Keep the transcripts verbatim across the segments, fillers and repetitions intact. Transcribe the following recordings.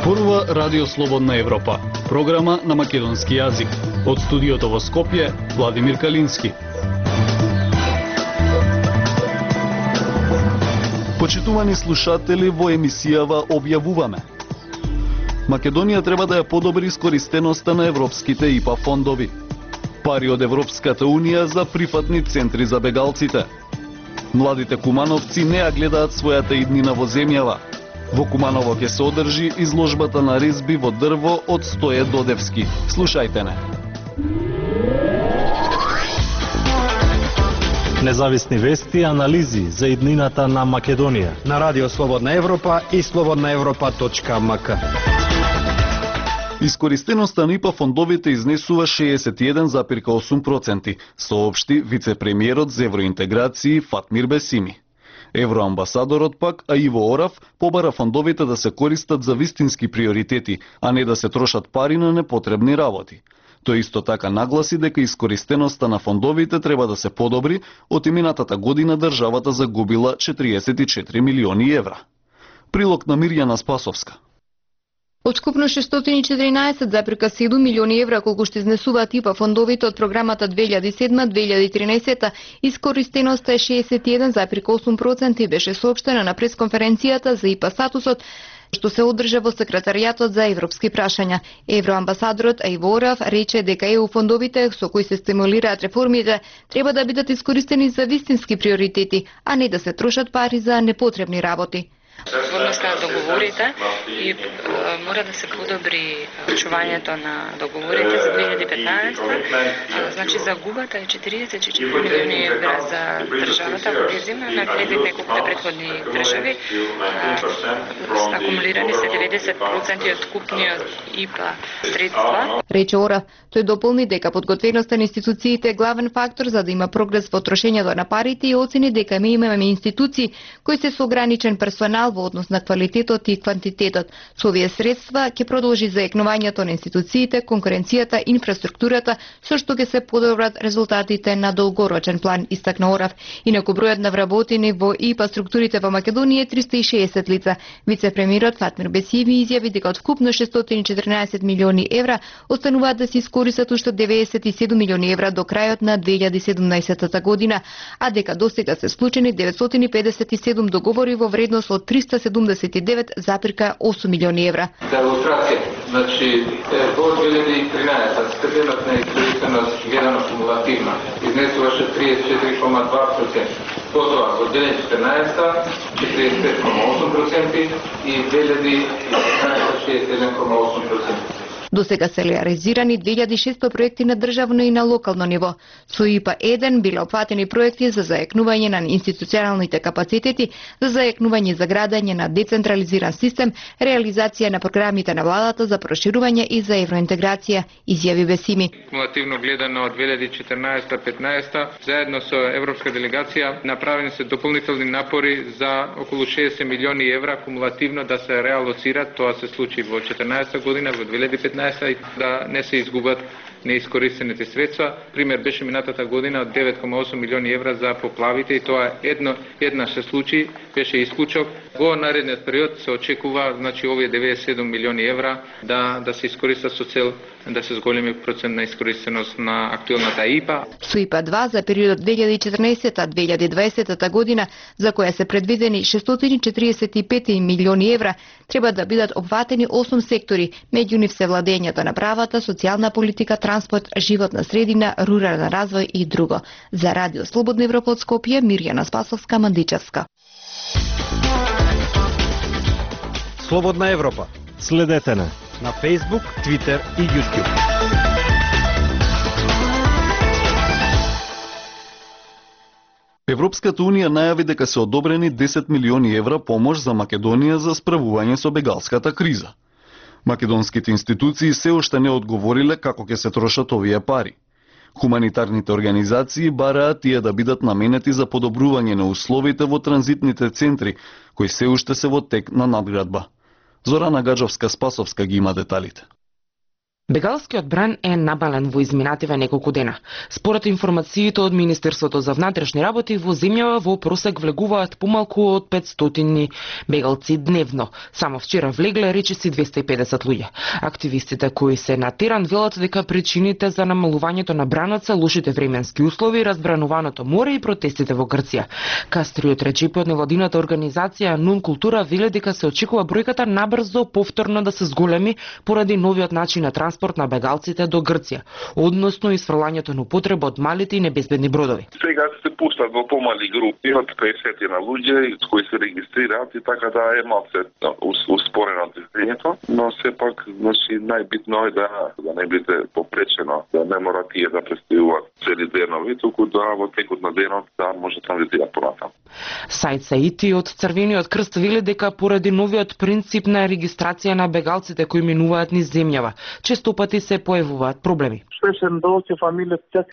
Зборува Радио Слободна Европа, програма на македонски јазик. Од студиото во Скопје, Владимир Калински. Почитувани слушатели, во емисијава објавуваме: Македонија треба да ја подобри искористеноста на европските И П А фондови. Пари од Европската Унија за прифатни центри за бегалците. Младите кумановци не ја гледаат својата иднина во земјава. Во Куманово ќе се одржи изложбата на резби во дрво од Стоје Додевски. Слушајте не. Независни вести и анализи за иднината на Македонија на Радио Слободна Европа и слободна европа точка м к. Искористеноста на И П А фондовите изнесува шеесет и еден зарез осум проценти, соопшти вице-премиерот за евроинтеграција Фатмир Бесими. Евроамбасадорот пак, а Иво Орав, побара фондовите да се користат за вистински приоритети, а не да се трошат пари на непотребни работи. Тој исто така нагласи дека искористеноста на фондовите треба да се подобри, од минатата година државата загубила четириесет и четири милиони евра. Прилог на Мирјана Спасовска. Од скупно шестстотини и четиринаесет зарез седум милиони евра колку што изнесуваат И П А фондовите од програмата две илјади и седма - две илјади и тринесета, искористеноста е шеесет и еден зарез осум проценти и беше соопштена на пресконференцијата за И П А статусот што се одржа во секретаријатот за европски прашања. Евроамбасадорот Иво Орав рече дека Е У фондовите со кои се стимулираат реформите треба да бидат искористени за вистински приоритети, а не да се трошат пари за непотребни работи. Отворноста на договорите и е, мора да се подобри чувањето на договорите за две илјади и петнаесета. А, значи загубата е четириесет и четири милиони евра за државата, ако ги земна на гледит неколките претходни држави. А, акумулирани се деветдесет проценти од купниот И П А средства. Рече Орав, тој дополни дека подготвеноста на институциите е главен фактор за да има прогрес во трошењето на парите и оцени дека ми имаме институции кои се со ограничен персонал во однос на квалитетот и квантитетот. Со овие средства ќе продолжи заекнувањето на институциите, конкуренцијата, инфраструктурата, со што ќе се подобрат резултатите на долгорочен план, истакна Орав. Инаку бројот на вработени во И П А структурите во Македонија е триста и шеесет лица. Вице-премиерот Фатмир Бесими изјави дека од вкупно шестстотини и четиринаесет милиони евра остануваат да се искористат уште деветдесет и седум милиони евра до крајот на две илјади и седумнаесета година, а дека досега се склучени деветстотини педесет и седум договори во вредност од триста седумдесет и девет зарез осум милиони евра. За илустрација, значи во две илјади и тринаесета степенот на искористеност гледано кумулативно изнесуваше триесет и четири кома два проценти. Потоа во две илјади и четирнаесета четириесет и пет кома осум проценти и две илјади и петнаесета шеесет и еден кома осум проценти. До сега се реализирани две илјади и шесто проекти на државно и на локално ниво. Со И П А еден биле опфатени проекти за заекнување на институционалните капацитети, за заекнување за градење на децентрализиран систем, реализација на програмите на владата за проширување и за евроинтеграција, изјави Бесими. Кумулативно гледано од две илјади и четирнаесета - петнаесета, заедно со европска делегација направени се дополнителни напори за околу шеесет милиони евра кумулативно да се реалоцират. Тоа се случи во четирнаесета година, во две илјади и петнаесета, да не се изгубат неискористените средства. Пример беше минатата година од девет кома осум милиони евра за поплавите и тоа едно еднаш се случи, беше исклучок. Во наредниот период се очекува, значи овие деветдесет и седум милиони евра да да се искористат со цел да се зголеми процент на искористеност на актуелната И П А. Со И П А два за периодот две илјади и четрнаесета - две илјади и дваесета година, за која се предвидени шестстотини и четириесет и пет милиони евра, треба да бидат опфатени осум сектори, меѓу нив се владењето на правата, социјална политика, транспорт, животна средина, рурален развој и друго. За Радио Слободна Европа од Скопје, Мирјана Спасовска, Мандичевска. Слободна Европа. Следете на на Facebook, Twitter и YouTube. Европската Унија најави дека се одобрени десет милиони евра помош за Македонија за справување со бегалската криза. Македонските институции се уште не одговориле како ќе се трошат овие пари. Хуманитарните организации бараат тие да бидат наменети за подобрување на условите во транзитните центри, кои се уште се во тек на надградба. Зорана Гаджовска-Спасовска ги има деталите. Бегалскиот бран е набален во изминативе неколку дена. Според информациите од Министерството за внатрешни работи, во земјава во просек влегуваат помалку од петстотини бегалци дневно. Само вчера влегле речиси двесте и педесет луѓе. Активистите кои се на терен велат дека причините за намалувањето на бранот се лошите временски услови, разбрануваното море и протестите во Грција. Кастриот Реджепи од невладината организација Нун Култура веле дека се очекува бројката набрзо повторно да се зголеми поради новиот начин на транспорт на бегалците до Грција, односно isfрлањето на употреба од малите и небезбедни бродови. Сега се пуштат во помали групи од петдесет на луѓе кои се регистрираат и така да е малце успорено движењето, но сепак значи најбитно е да да не биде попречено, да не мора тие да престојуваат цели денови, туку да во текот на денот да може да транзитираат понатаму. Саид Саити од Црвениот крст вели дека поради новиот принцип на регистрација на бегалците кои минуваат низ земјава, често пати се појавуваат проблеми.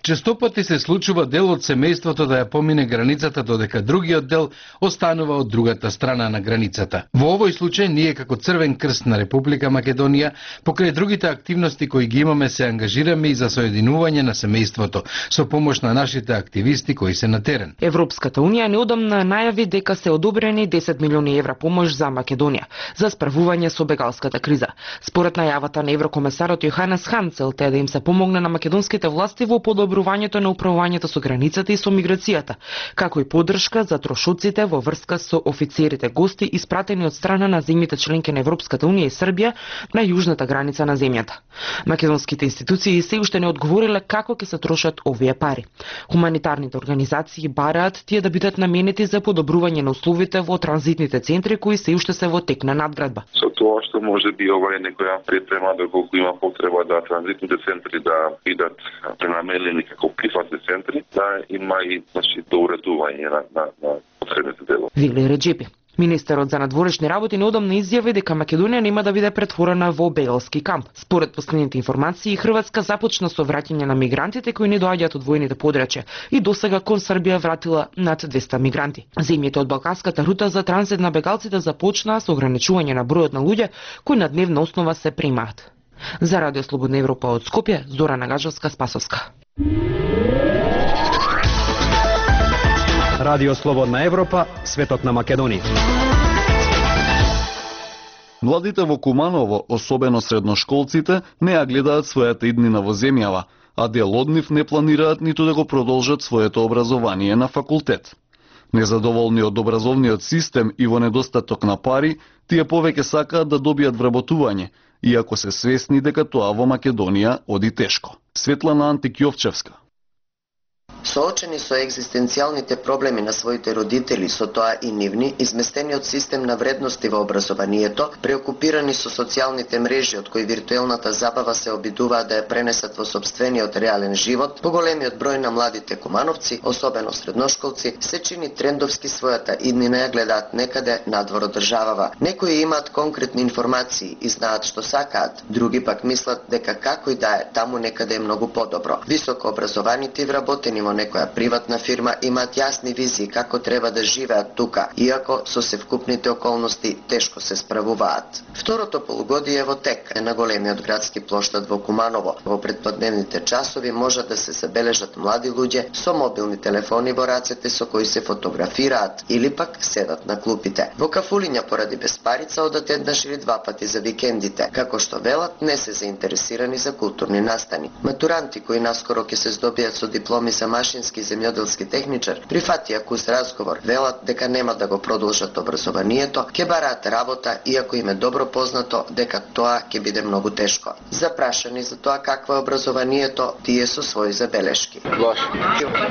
Често пати се случува дел од семејството да ја помине границата додека другиот дел останува од другата страна на границата. Во овој случај ние како Црвен крст на Република Македонија покрај другите активности кои ги имаме се ангажираме и за соединување на семејството со помош на нашите активисти кои се на терен. Европската унија неодамна најави дека се одобрени десет милиони евра помош за Македонија за справување со бегалската криза. Според најавата на еврокомесарот Јоханес Хан, целта е да им се помогне на македонските власти во подобрувањето на управувањето со границата и со миграцијата, како и поддршка за трошоците во врска со офицерите гости испратени од страна на земјите членки на Европската унија и Србија на јужната граница на земјата. Македонските институции се уште не одговориле како ќе се трошат овие пари. Хуманитарните организации бараат тие да бидат наменети за подобрување на условите во транзитните центри кои се уште се во тек на надградба. Со тоа што може би ова е некоја припрема доколку има потреба да транзитните центри да бидат пренамелени како прифатни центри, да има и значи доуредување на на, на потребните делови. Вели Реджепи. Министерот за надворешни работи неодамна изјави дека Македонија нема да биде претворена во бегалски камп. Според последните информации, Хрватска започна со враќање на мигрантите кои не доаѓаат од војните подрачја и досега кон Србија вратила над двесте мигранти. Земјите од балканската рута за транзит на бегалците започнаа со ограничување на бројот на луѓе кои на дневна основа се примаат. За Радио Слободна Европа од Скопје, Зорана Гаджевска-Спасовска. Радио Слободна Европа, светот на Македонија. Младите во Куманово, особено средношколците, не ја гледаат својата иднина во земјава, а дел од нив не планираат ниту да го продолжат своето образование на факултет. Незадоволни од образовниот систем и во недостаток на пари, тие повеќе сакаат да добијат вработување, иако се свесни дека тоа во Македонија оди тешко. Светлана Антикјовчевска. Соочени со екзистенцијалните проблеми на своите родители, со тоа и нивни, изместениот систем на вредности во образованието, преокупирани со социјалните мрежи од кои виртуелната забава се обидуваат да ја пренесат во сопствениот реален живот, поголемиот број на младите кумановци, особено средношколци, се чини трендовски својата иднина ја гледаат некаде надвор од државава. Некои имаат конкретни информации и знаат што сакаат, други пак мислат дека како и да е, таму некаде е многу подобро. Високо образованите и вработени во некоја приватна фирма имаат јасни визии како треба да живеат тука, иако со севкупните околности тешко се справуваат. Второто полугодие во тек е на големиот градски плоштад во Куманово. Во предподневните часови можат да се забележат млади луѓе со мобилни телефони во рацете со кои се фотографираат или пак седат на клупите. Во кафулиња поради безпарица одат еднаш или два пати за викендите, како што велат не се заинтересирани за културни настани. Матуранти кои наскоро ќе се здобијат со дипломи за машински и земјоделски техничар, прифатија кус разговор, велат дека нема да го продолжат образованието, ќе бараат работа, иако им е добро познато дека тоа ќе биде многу тешко. Запрашани за тоа какво е образованието, тие со своји забелешки. Лош.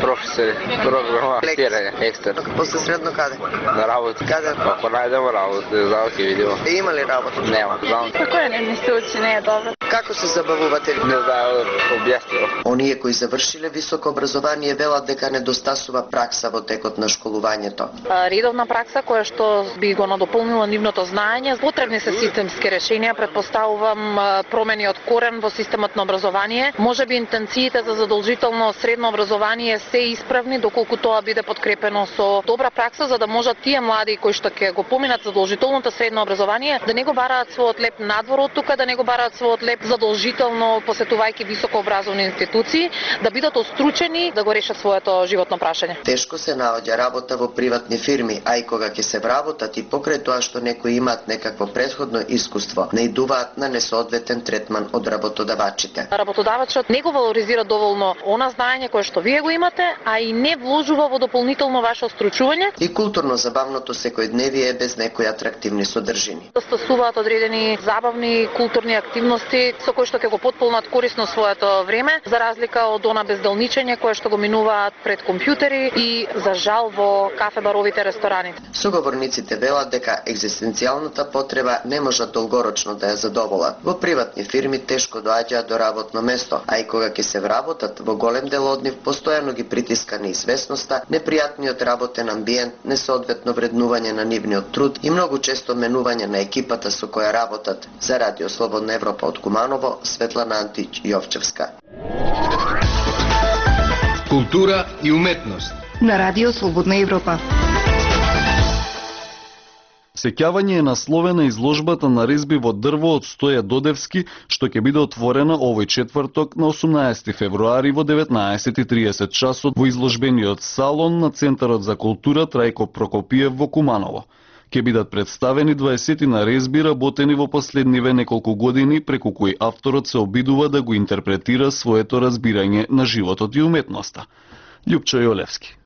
Професор, програматирање, екстерн. После средно каде? На работа. Каде? Ако најдемо работа, не знам ќе видимо. И има ли работа? Нема, знам. Како е, не мислите, че не е добро? Како се забавувате? Не знам, објаснило. Оние кои завршиле високо образование велат дека недостасува пракса во текот на школувањето. Редовна пракса која што би го надополнила нивното знаење, потребни се системски решенија, предпоставувам промени од корен во системот на образование. Можеби интенциите за задолжително средно образование се исправни доколку тоа биде подкрепено со добра пракса, за да можат тие млади кои што ќе го поминат задолжителното средно образование да не го бараат својот леп надвор од тука, да не го бараат својот леп задолжително посетувајќи високообразовни институции, да бидат остручени да го решат своето животно прашање. Тешко се наоѓа работа во приватни фирми, а и кога ќе се вработат и покрај тоа што некои имаат некакво претходно искуство, наидуваат на несоодветен третман од работодавачите. Работодавачот не го валоризира доволно она знаење кое што вие го имате, а и не вложува во дополнително ваше остручување. И културно-забавното секојдневие е без некои атрактивни содржини. Стасуваат одредени забавни културни активности со кои што ќе го потполнат корисно своето време, за разлика од она безделничење кое што го минуваат пред компјутери и за жал во кафе-баровите рестораните. Соговорниците велат дека екзистенцијалната потреба не можат долгорочно да ја задоволат. Во приватни фирми тешко доаѓаат до работно место, а и кога ќе се вработат, во голем дел од нив постојано ги притиска неизвестноста, непријатниот работен амбиент, несоодветно вреднување на нивниот труд и многу често менување на екипата со која работат. За Радио Слободна Европа од Куманово, Светлана Антич Јовчевска. Култура и уметност на Радио Слободна Европа. Сеќавање е насловена изложбата на резби во дрво од Стоја Додевски, што ќе биде отворена овој четврток на осумнаесети февруари во деветнаесет и триесет часот во изложбениот салон на Центарот за култура Трајко Прокопиев во Куманово. Ќе бидат представени дваесетина резби работени во последниве неколку години, преку кои авторот се обидува да го интерпретира своето разбирање на животот и уметноста. Љупчо Јолевски.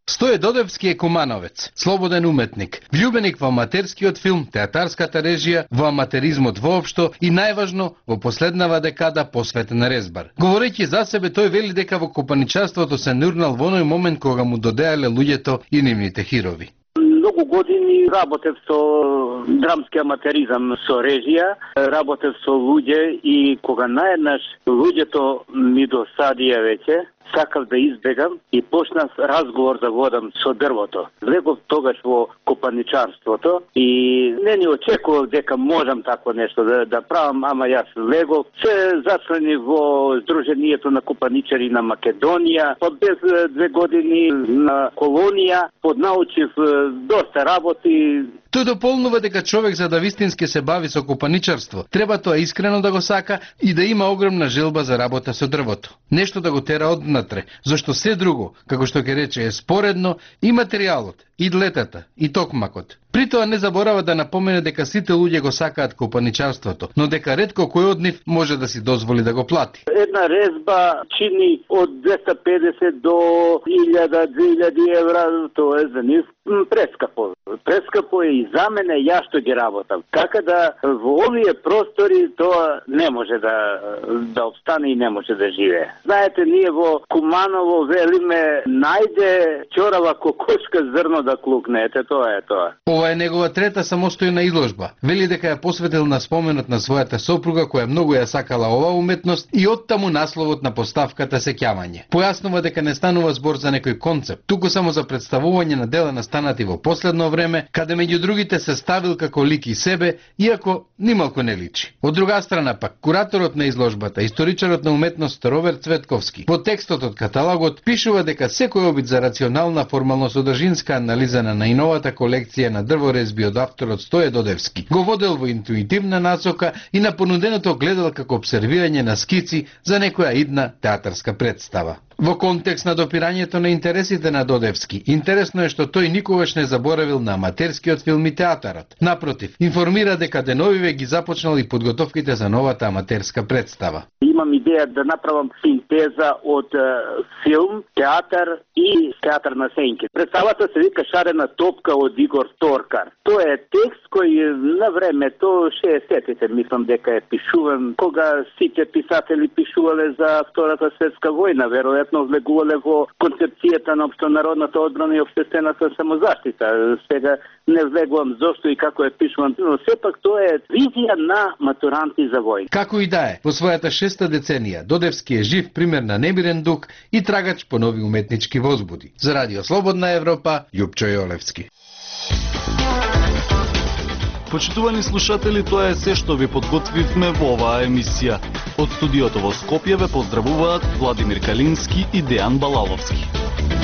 Стоја Додевски е кумановец, слободен уметник, влюбеник во аматерскиот филм, театарската режија, во аматеризмот воопшто и најважно во последнава декада посветен резбар. Говорејќи за себе, тој вели дека во копаничарството се нурнал во оној момент кога му додеале луѓето и нивните хирови. Многу години работев со драмски аматеризам, со режија, работев со луѓе и кога наеднаш луѓето ми досадија веќе, сакав да избегам и почнав разговор да водам со дрвото. Влегов тогаш во копаничарството и не ни очекував дека можам такво нешто да, да правам, ама јас влегов. Се зачлени во Сдруженијето на копаничари на Македонија, под без две години на колонија, поднаучив доста работи. Тој дополнува дека човек за да вистински се бави со копаничарство, треба тоа искрено да го сака и да има огромна желба за работа со дрвото. Нешто да го тера однатре, зашто се друго, како што ќе рече, е споредно и материјалот, и длетата, и токмакот. При тоа не заборава да напомене дека сите луѓе го сакаат копаничарството, но дека ретко кој од нив може да си дозволи да го плати. Една резба чини од двеста педесет до илјада, две илјади евра, тоа е за нив прескапо. Прескапо е и за мене, ја што ги работам. Така да во овие простори тоа не може да да обстане и не може да живее. Знаете, ние во Куманово велиме најде чорава кокошка зрно да клукне, ете тоа е тоа. Ова е негова трета самостојна изложба. Вели дека ја посветил на споменот на својата сопруга која многу ја сакала оваа уметност и оттаму насловот на поставката Сеќавање. Појаснува дека не станува збор за некој концепт, туку само за представување на дела настанати во последно време, каде меѓу другите се ставил како лик и себе, иако нималку не личи. Од друга страна пак, кураторот на изложбата, историчарот на уметност Роберт Цветковски, во текстот од каталогот пишува дека секој обид за рационална формално-содржинска анализа на најновата колекција на дрворезби од авторот Стоја Додевски го водел во интуитивна насока и на понуденото гледал како обсервирање на скици за некоја идна театарска представа. Во контекст на допирањето на интересите на Додевски, интересно е што тој никогаш не заборавил на аматерскиот филм и театарот. Напротив, информира дека деновиве ги започнал и подготовките за новата аматерска представа. Имам идеја да направам синтеза од е, филм, театар и театар на сенки. Представата се вика Шарена топка од Игор Торкар. Тоа е текст кој на времето шеесеттите мислам дека е пишуван, кога сите писатели пишувале за Втората светска војна, веројатно веројатно влегувале во концепцијата на општонародната одбрана и општествената самозаштита. Сега не влегувам зошто и како е пишувам, но сепак тоа е визија на матуранти за војна. Како и да е, во својата шеста деценија Додевски е жив пример на немирен дух и трагач по нови уметнички возбуди. За Радио Слободна Европа, Љупчо Јолевски. Почитувани слушатели, тоа е се што ви подготвивме во оваа емисија. Од студиото во Скопје ве поздравуваат Владимир Калински и Дејан Балаловски.